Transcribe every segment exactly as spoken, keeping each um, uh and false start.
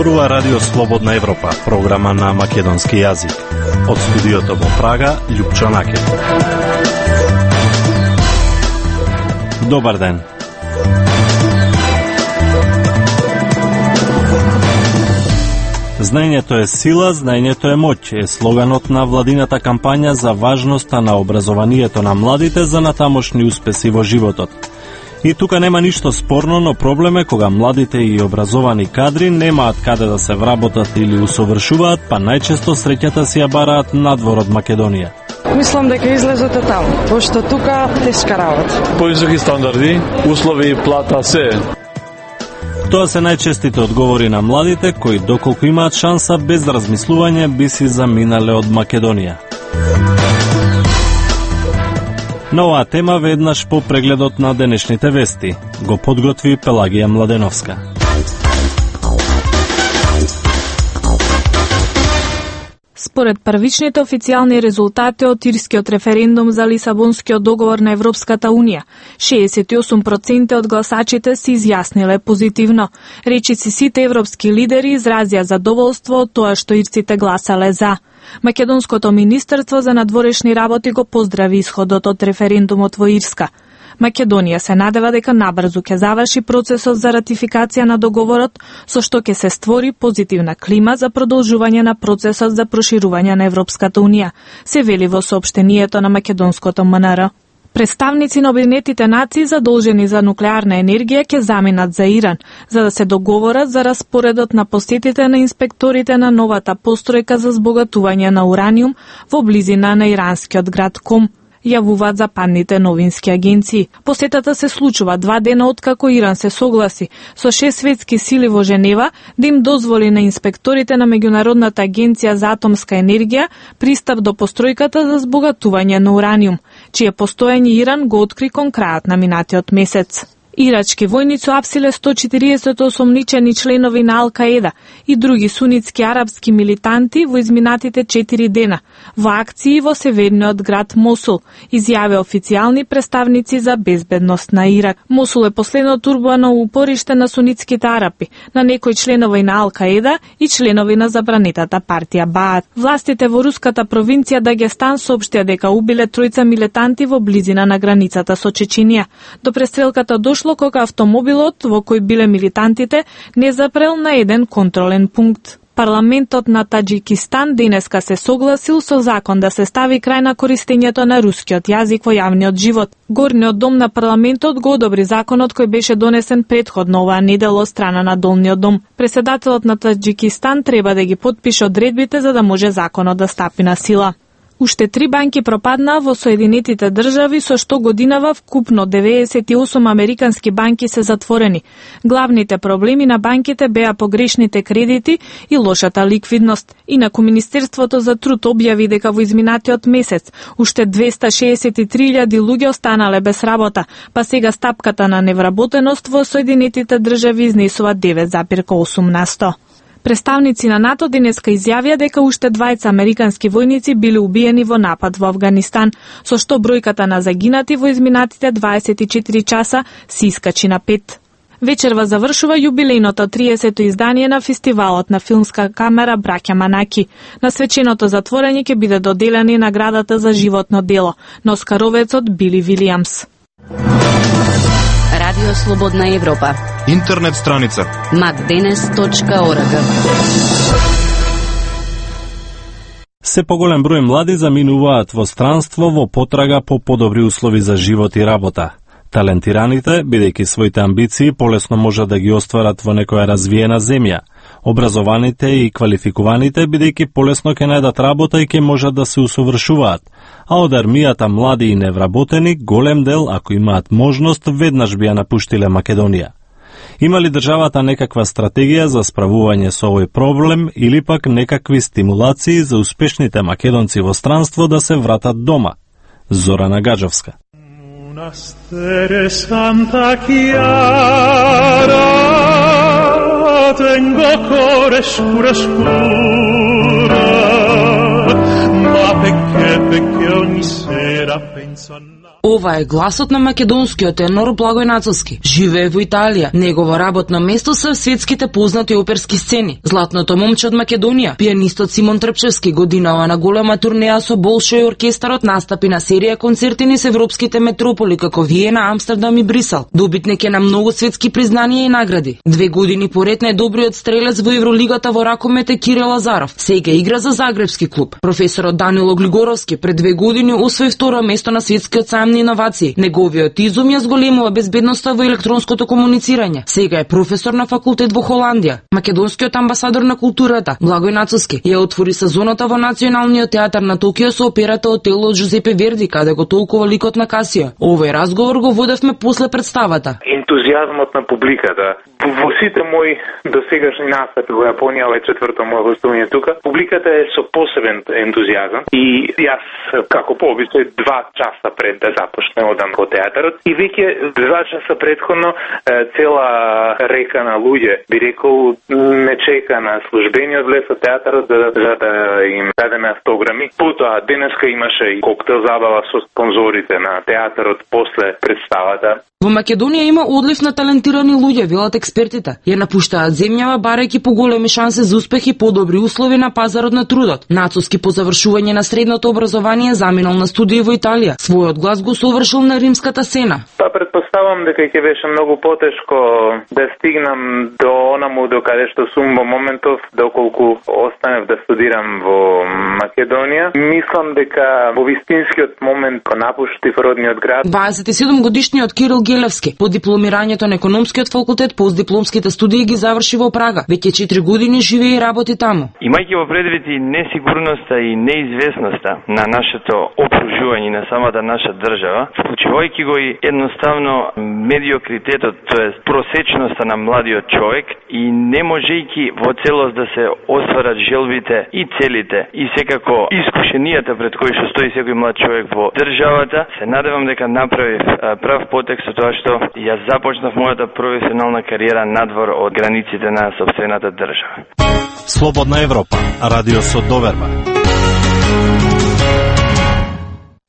Зборува Радио Слободна Европа, програма на македонски јазик. Од студиото во Прага, Љупчо Накев. Добар ден. Знаењето е сила, знаењето е моќ, е слоганот на владината кампања за важноста на образованието на младите за натамошни успеси во животот. И тука нема ништо спорно, но проблем е кога младите и образовани кадри немаат каде да се вработат или усовршуваат, па најчесто среќата си ја бараат надвор од Македонија. Мислам дека излезот е таму, пошто тука тешка работа. Повисоки стандарди, услови, плата, се. Тоа се најчестите одговори на младите кои доколку имаат шанса без размислување би си заминале од Македонија. На оваа тема веднаш по прегледот на денешните вести го подготви Пелагија Младеновска. Според првичните официјални резултати од ирскиот референдум за Лисабонскиот договор на Европската Унија, шеесет и осум проценти од гласачите се изјасниле позитивно. Речиси сите европски лидери изразија задоволство од тоа што ирците гласале за. Македонското министерство за надворешни работи го поздрави исходот од референдумот во Ирска. Македонија се надева дека набрзо ќе заврши процесот за ратификација на договорот, со што ќе се створи позитивна клима за продолжување на процесот за проширување на Европската Унија, се вели во соопштението на македонското М Н Р. Представници на Обединетите нации задолжени за нуклеарна енергија ќе заминат за Иран, за да се договорат за распоредот на посетите на инспекторите на новата постројка за збогатување на ураниум во близина на иранскиот град Ком, јавуваат западните новински агенции. Посетата се случува два дена откако Иран се согласи со шест светски сили во Женева да им дозволи на инспекторите на Меѓународната агенција за атомска енергија пристап до постројката за збогатување на ураниум, чие постоење Иран го откри кон крајот на минатиот месец. Ирачки војници апсиле сто четириесет осомничени членови на Ал-Каеда и други сунитски арапски милитанти во изминатите четири дена во акции во северниот град Мосул, изјаве официјални представници за безбедност на Ирак. Мосул е последното урбано упориште на сунитските арапи, на некои членови на Ал-Каеда и членови на забранетата партија Баат. Властите во руската провинција Дагестан соопштија дека убиле тројца милитанти во близина на границата со Чеченија. До престрелката дошло кога автомобилот во кој биле милитантите не запрел на еден контролен пункт. Парламентот на Таџикистан денеска се согласил со закон да се стави крај на користењето на рускиот јазик во јавниот живот. Горниот дом на парламентот го одобри законот кој беше донесен претходно оваа недела од страна на долниот дом. Претседателот на Таџикистан треба да ги потпише одредбите за да може законот да стапи на сила. Уште три банки пропаднаа во Соединетите држави, со што годинава вкупно деветдесет и осум американски банки се затворени. Главните проблеми на банките беа погрешните кредити и лошата ликвидност. Инаку Министерството за труд објави дека во изминатиот месец уште двеста шеесет и три илјади луѓе останале без работа, па сега стапката на невработеност во Соединетите држави изнесува девет зарез осум на сто. Представници на НАТО денеска изјавија дека уште двајца американски војници биле убиени во напад во Авганистан, со што бројката на загинати во изминатите дваесет и четири часа се искачи на пет. Вечерва завршува јубилејното триесето издание на фестивалот на филмска камера Браќа Манаки. На свеченото затворање ќе биде доделена наградата за животно дело на оскаровецот Били Вилијамс. Радио Слободна Европа. Интернет страница макденес точка орг. Се поголем број млади заминуваат во странство во потрага по подобри услови за живот и работа. Талентираните, бидејќи своите амбиции полесно можат да ги остварат во некоја развиена земја. Образованите и квалификуваните, бидејќи полесно ќе најдат работа и ќе можат да се усовршуваат. А од армијата млади и невработени, голем дел, ако имаат можност, веднаш би ја напуштиле Македонија. Има ли државата некаква стратегија за справување со овој проблем или пак некакви стимулации за успешните македонци во странство да се вратат дома? Зорана Гаджовска. Santa Chiara, tengo core scura scura, ma perché, perché ogni sera penso a Ова е гласот на македонскиот тенор Благој Нацовски. Живее во Италија. Негово работно место се светските познати оперски сцени. Златното момче од Македонија, пианистот Симон Трпчевски годинава на голема турнеја со Болшој оркестарот настапи на серија концерти низ европските метрополи како Виена, Амстердам и Брисел. Добитник е на многу светски признанија и награди. Две години поред најдобриот стрелец во Евролигата во ракомет е Кирил Лазаров. Сега игра за Загребски клуб. Професорот Данило Глигоровски пред две години освои второ место на светскиот сајам на иновации. Неговиот изум ја зголемува безбедноста во електронското комуницирање. Сега е професор на факултет во Холандија. Македонскиот амбасадор на културата Благој Нацовски ја отвори сезоната во Националниот театар на Токио со операта Отело од Жузепе Верди, каде го толкува ликот на Касио. Овој разговор го водевме после представата. Ентузијазмот на публиката. Во сите мои досегашни настапи во Јапонија, ова е четврто моје гостување тука, публиката е со посебен ентузијазам и јас како по обичај два часа пред да започне одам во театарот и веќе два часа претходно цела река на луѓе, би рекол, не чека на службениот лес од театарот за, за да им дадеме автограми. Потоа денеска имаше и коктел забава со спонзорите на театарот после представата. Во Македонија има одлив на талентирани луѓе, велат експертите. Ја напуштаат земјава барајќи поголеми шанси за успех и подобри услови на пазарот на трудот. Нацовски по завршување на средното образование заминал на студии во Италија. Својот глас го совршил на римската сцена. Па предпоставам дека ќе беше многу потешко да стигнам до онаму до каде што сум во моментов, доколку останев да студирам во Македонија. Мислам дека во вистинскиот момент кога напуштив родниот град. дваесет и седум годишниот Кирил Гелевски по дипломирањето на економскиот факултет постдипломските студии ги заврши во Прага. Веќе четири години живее и работи таму. Имајќи во предвид и несигурноста и неизвестноста на нашето окружување на самата наша држава, вклучувајќи го и едноставно медиокритетот, тоест просечноста на младиот човек и не можејќи во целост да се остварат желбите и целите и секако искушенијата пред кои што стои секој млад човек во државата, се надевам дека направив прав потек со тоа што ја започнав мојата професионална кариера надвор од границите на сопствената држава. Слободна Европа, радио со доверба.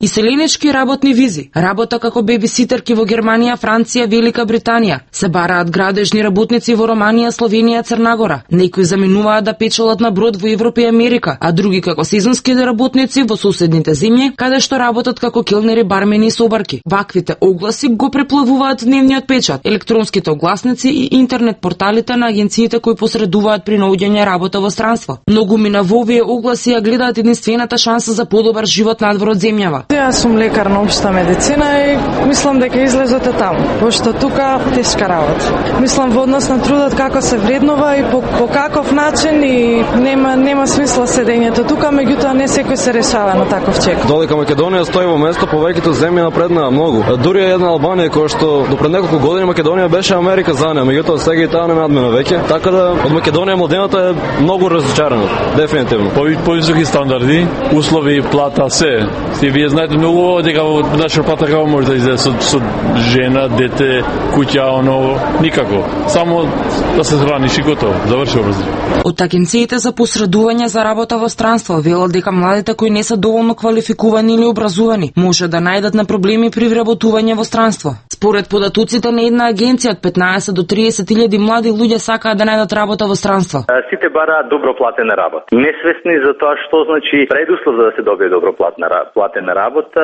Иселенички работни визи, работа како бебиситерки во Германија, Франција, Велика Британија. Се бараат градежни работници во Романија, Словенија, Црна Гора. Некои заминуваат да печелат на брод во Европа и Америка, а други како сезонски работници во соседните земји, каде што работат како келнери, бармени и собарки. Ваквите огласи го преплавуваат дневниот печат, електронските огласници и интернет порталите на агенциите кои посредуваат при наоѓање работа во странство. Многумина во овие огласи ја гледаат единствената шанса за подобар живот надвор од земјава. Јас сум лекар на општа медицина и мислам дека излезот е таму, пошто тука тешка работа. Мислам во однос на трудот како се вреднува и по, по каков начин и нема нема смисла седењето тука, меѓутоа не секој се решава на таков чек. Додека Македонија стои во место, повеќето земји напреднаа многу. Дури една Албанија која што до пред неколку години Македонија беше Америка за неа, меѓутоа сега и таа не надмина веќе. Така да од Македонија младената е многу разочарана, дефинитивно. Повисоки стандарди, услови, плата, се. Си вие знаете многу дека во наша плата како може да излезе со, со жена, дете, куќа, оно, никако. Само да се зраниш и готово, заврши образно. Од агенциите за посредување за работа во странство велат дека младите кои не се доволно квалификувани или образувани може да најдат на проблеми при вработување во странство. Според податоците на една агенција од петнаесет до триесет илјади млади луѓе сакаат да најдат работа во странство. Сите бараат добро платена работа. Несвесни за тоа што значи предуслов за да се добие добро платна платена работа,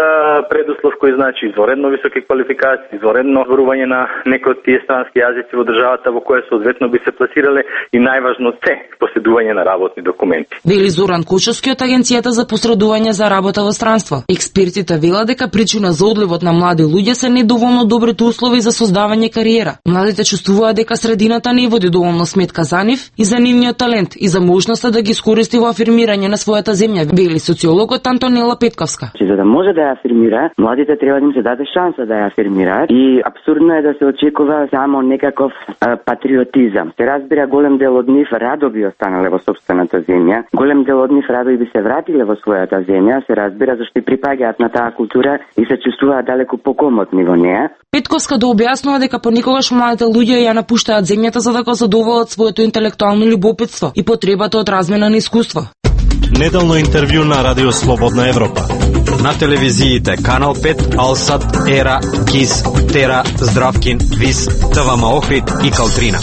предуслов кој значи изворедно високи квалификации, изворедно зборување на некои од тие странски јазици во државата во која соодветно би се пласирале и најважно се поседување на работни документи. Вели Зоран Кучовски од агенцијата за посредување за работа во странство. Експертите велат дека причина за одливот на млади луѓе се недоволно добрите услови за создавање кариера. Младите чувствуваат дека средината не води доволно сметка за нив и за нивниот талент и за можноста да ги искористи во афирмирање на својата земја, вели социологот Антонела Петковска. За да може да ја афирмира, младите треба да им се даде шанса да ја афирмираат и апсурдно е да се очекува само некаков а, патриотизам. Се разбира, голем дел од нив радо би останале во собствената земја, голем дел од нив радо и би се вратиле во својата земја, се разбира зашто и припаѓаат на таа култура и се чувствуваат далеку покомотни во неа. Петковска да објаснува дека понекогаш младите луѓе ја напуштаат земјата за да го задоволат своето интелектуално љубопитство и потребата од размена на искуство. Неделно интервју на Радио Слободна Европа. На телевизиите Канал пет, Алсат, Ера, Кис, Тера, Здравкин, Вис, ТВМ Охрид и Калтрина.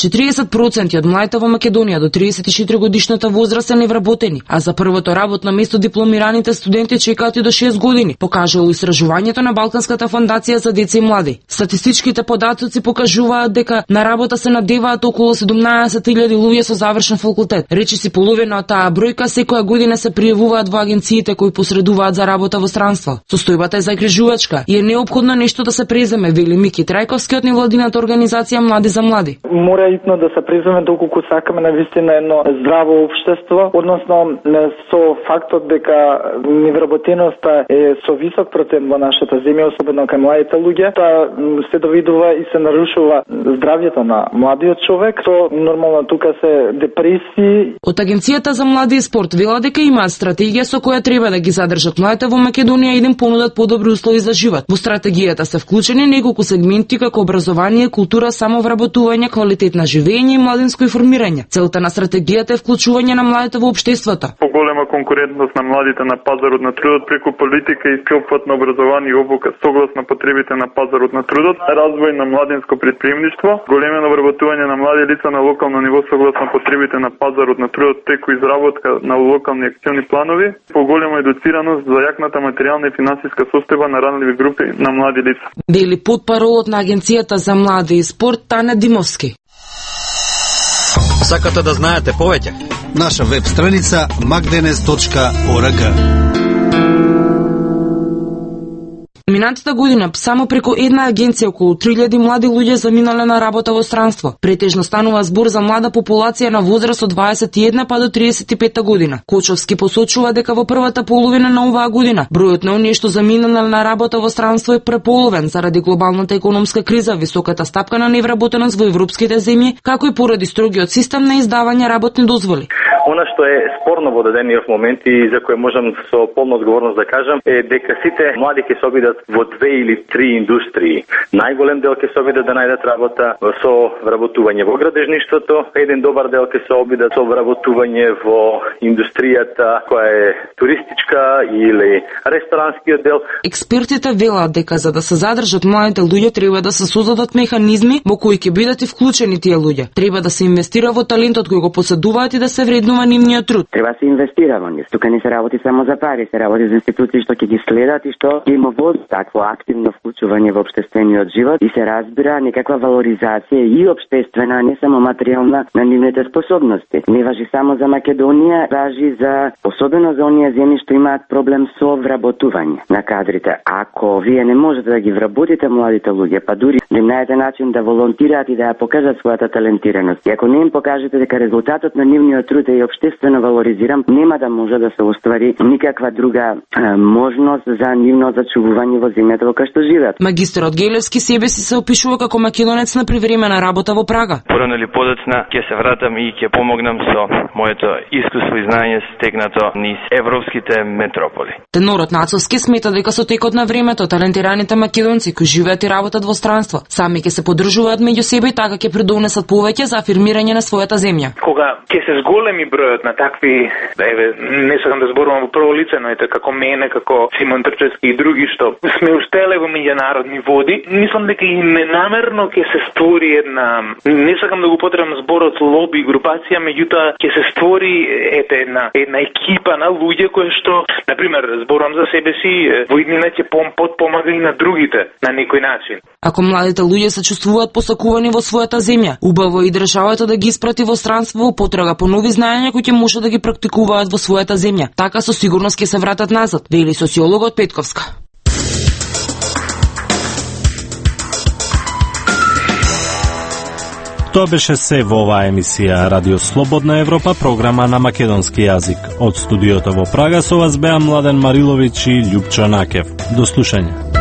четириесет проценти од младите во Македонија до триесет и четири годишната возраст се невработени, а за првото работно место дипломираните студенти чекаат и до шест години, покажало истражувањето на Балканската фондација за деца и млади. Статистичките податоци покажуваат дека на работа се надеваат околу седумнаесет илјади луѓе со завршен факултет. Речиси половина од таа бројка секоја година се пријавуваат во агенциите кои посредуваат за работа во странство. Состојбата е загрижувачка и е неопходно нешто да се преземе, вели Мики Трајковски од невладината организација Млади за млади. Мора итно да се преземе доколку сакаме навистина едно здраво општество, односно со фактот дека невработеноста е со висок процент во нашата земја, особено кај младите луѓе, таа се довидува и се нарушува здравјето на младиот човек, то нормално тука се депресии. Од Агенцијата за млади и спорт вела дека имаат стратегија со која треба да ги задржат младите во Македонија и да им понудат подобри услови за живот. Во стратегијата се вклучени неколку сегменти како образование, култура, самовработување, квалитетна живење и младинско информирање. Целта на стратегијата е вклучување на младите во општеството. Поголема конкурентност на младите на пазарот на трудот преку политика и всеопфатно образование и обука согласно потребите на пазарот на трудот, развој на младинско претприемништво, големено вработување на млади лица на локално ниво согласно потребите на пазарот на трудот преку изработка на локални акциони планови, поголема едуцираност за јакната материјална и финансиска состојба на ранливи групи на млади лица. Вели потпаролот на Агенцијата за млади и спорт Тане Димовски. Сакате да знаете повеќе? Наша веб страница макденес точка орг. Минатата година само преку една агенција околу три илјади млади луѓе заминале на работа во странство. Претежно станува збор за млада популација на возраст од дваесет и една па до триесет и пета година. Кочовски посочува дека во првата половина на оваа година бројот на оние што заминале на работа во странство е преполовен заради глобалната економска криза, високата стапка на невработеност во европските земји, како и поради строгиот систем на издавање работни дозволи. Она што е спорно во дадениот момент и за кое можам со полна одговорност да кажам е дека сите млади ќе се обидат во две или три индустрии. Најголем дел ќе се обидат да најдат работа со вработување во градежништвото, еден добар дел ќе се обидат со вработување во индустријата која е туристичка или ресторанскиот дел. Експертите велат дека за да се задржат младите луѓе треба да се создадат механизми во кои ќе бидат и вклучени тие луѓе. Треба да се инвестира во талентот кој го поседуваат и да се вреднува нивниот труд. Треба да се инвестира во нив. Тука не се работи само за пари, се работи за институции што ќе ги следат и што ќе има водат такво активно вклучување во општествениот живот и се разбира некаква валоризација и општествена, не само материјална, на нивните способности. Не важи само за Македонија, важи за особено за оние земји што имаат проблем со вработување на кадрите. Ако вие не можете да ги вработите младите луѓе, па дури да им најдете начин да волонтираат и да ја покажат својата талентираност, и ако не им покажете дека резултатот на нивниот труд е општествено валоризиран, нема да може да се оствари никаква друга е, можност за нивно зачувување во земјата во која што живеат. Магистерот Гелевски себе си се опишува како македонец на привремена работа во Прага. Порано или подоцна ќе се вратам и ќе помогнам со моето искуство и знаење стекнато низ европските метрополи. Тенорот Нацовски смета дека со текот на времето талентираните македонци кои живеат и работат во странство сами ќе се поддржуваат меѓу себе и така ќе придонесат повеќе за афирмирање на својата земја. Кога ќе се зголеми бројот на такви, еве, не сакам да зборувам во прво лице, но ете како мене, како Симон Трчевски и други што сме уштеле во меѓународни води, мислам дека и ненамерно ќе се створи една, не сакам да го потребам зборот лоби групација, меѓутоа ќе се створи ете една една екипа на луѓе кои што, на пример, зборувам за себе си, во иднина ќе подпомага и на другите на некој начин. Ако младите луѓе се чувствуваат посакувани во својата земја, убаво и државата да ги испрати во странство во потрага по нови знаења кои ќе може да ги практикуваат во својата земја. Така со сигурност ќе се вратат назад, вели социологот Петковска. Тоа беше се во оваа емисија Радио Слободна Европа, програма на македонски јазик. Од студиото во Прага со вас беа Младен Мариловиќ и Љупчо Накев. До слушање.